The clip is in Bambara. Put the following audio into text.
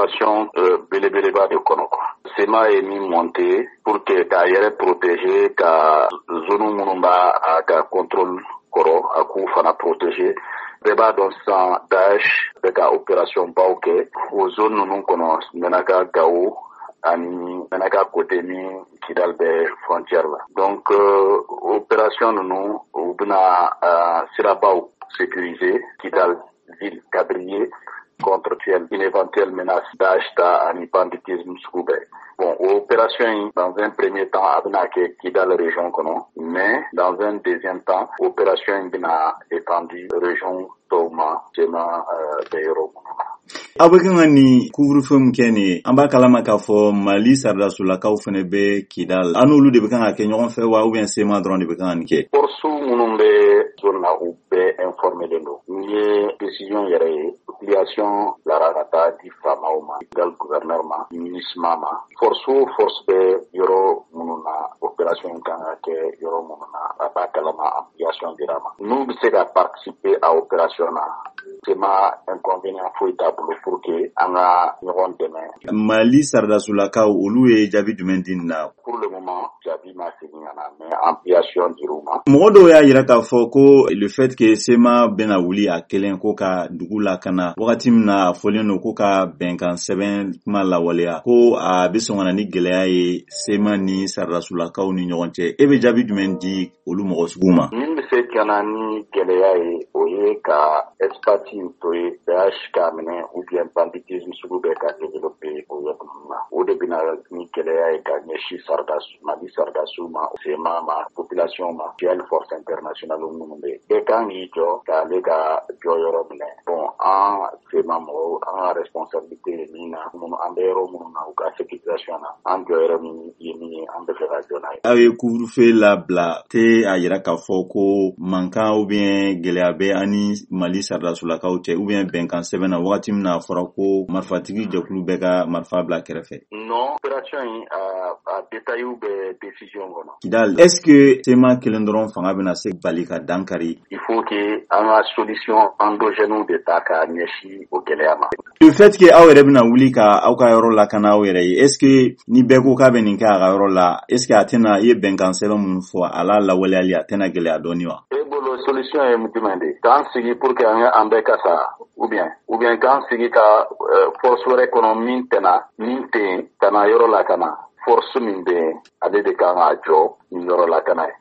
Opération belebeleba de kɔnɔ quoi. CMA ye min monté pour que k'a yɛrɛ protéger, ka zone minnu b'a a ka contrôle kɔrɔ, a k'u fana protéger. Bɛɛ b'a dɔn sisan, Daesh bɛ ka opération baw kɛ o zone ninnu kɔnɔ, Menaka, Gao ani Menaka côté ni Kidal bɛ frontière la. Donc opération ninnu, u bɛna sirabaw sécuriser, Kidal ville quadrillée contre une éventuelle menace Daesh ta ani banditisme sugu bɛɛ. Bon, opération in, dans un premier temps, a bɛna kɛ Kidal région kɔnɔ, mais dans un deuxième temps, opération in bɛna étendu région tɔw ma, CMA bɛ yɔrɔ minnu na. Aw bɛ kan ka nin couvre-feu min kɛ nin ye, an b'a kalama k'a fɔ Mali sɔrɔdasolakaw fana bɛ Kidal. An n'olu de bɛ kan ka kɛ ɲɔgɔn fɛ wa, ou bien CMA dɔrɔn de bɛ kan ka nin kɛ? Force minnu bɛ zone na, u bɛɛ informé don. N'i ye décision yɛrɛ ye, ampliation bilara ka taa di faamaw ma, Kidal gouverneur ma, MINUSMA ma. Force o force bɛ yɔrɔ minnu na, opération kan ka kɛ yɔrɔ minnu na, a b'a kalama, ampliation dira ma. N'u bɛ se ka participer a opération na, CMA inconvénient foyi t'a bolo pour que an ka ɲɔgɔn dɛmɛ. Mali sɔrɔdasolakaw, olu ye jaabi jumɛn di nin na? Pour le moment, jaabi ma segin ka na, mais ampliation dir'u ma. Mɔgɔ dɔw y'a yira k'a fɔ ko le fait que CMA bɛna wuli a kelen ko ka dugu lakana, wagati min na a fɔlen don ko ka bɛnkan sɛbɛn kuma lawaleya, ko a bɛ sɔn ka na ni gɛlɛya ye CMA ni sɔrɔdasolakaw ni ɲɔgɔn cɛ. E bɛ jaabi jumɛn di olu mɔgɔ sugu ma? Min bɛ se ka na ni gɛlɛya ye, o ye ka espace to ye Daesh k'a minɛ ou bien banditisme sugu bɛɛ ka développer o yɔrɔ ninnu na. O de bɛna ni gɛlɛya ye ka ɲɛsin sɔrɔdasi, Mali sɔrɔdasiw ma, CMA ma, population ma, hali force internationale minnu bɛ yen. Bɛɛ kan k'i jɔ k'ale ka jɔyɔrɔ minɛ. Bon, an CMA mɔgɔw, an ka responsabilité ye min na, minnu an bɛ yɔrɔ minnu na, u ka sécurisation na, an jɔyɔrɔ min ye min ye, an bɛ fɛ ka jɔ n'a ye. Aw ye couvre-feu labila te, a yira k'a fɔ ko mankan ou bien gɛlɛya bɛ an ni Mali sɔrɔdasolakaw cɛ, ou bien bɛnkan sɛbɛn na, wagati min na a fɔra ko marifatigi jɛkulu bɛɛ ka marifa bila kɛrɛfɛ? Non, opération in, a détail bɛ décision kɔnɔ. Kidal, est ce que CMA kelen dɔrɔn fanga bɛna se bali ka dankari? Il faut que an ka solution endogène de ta k'a ɲɛsin o gɛlɛya ma. Le fait que aw yɛrɛ bɛna wuli ka aw ka yɔrɔ lakana aw yɛrɛ ye, est ce que ni bɛɛ ko k'a bɛ nin kɛ a ka yɔrɔ la, est ce que a tɛna, i ye bɛnkan sɛbɛn minnu fɔ, a la lawaleyali a tɛna gɛlɛya dɔɔni wa? E bolo, solution ye jumɛn de ye? K'an sigi pour que an bɛɛ ka sa, ou bien k'an sigi ka force wɛrɛ kɔnɔ min tɛna min tɛ yen ka na yɔrɔ lakana? Force min bɛ yen, ale de kan k'a jɔ ni yɔrɔ lakana ye.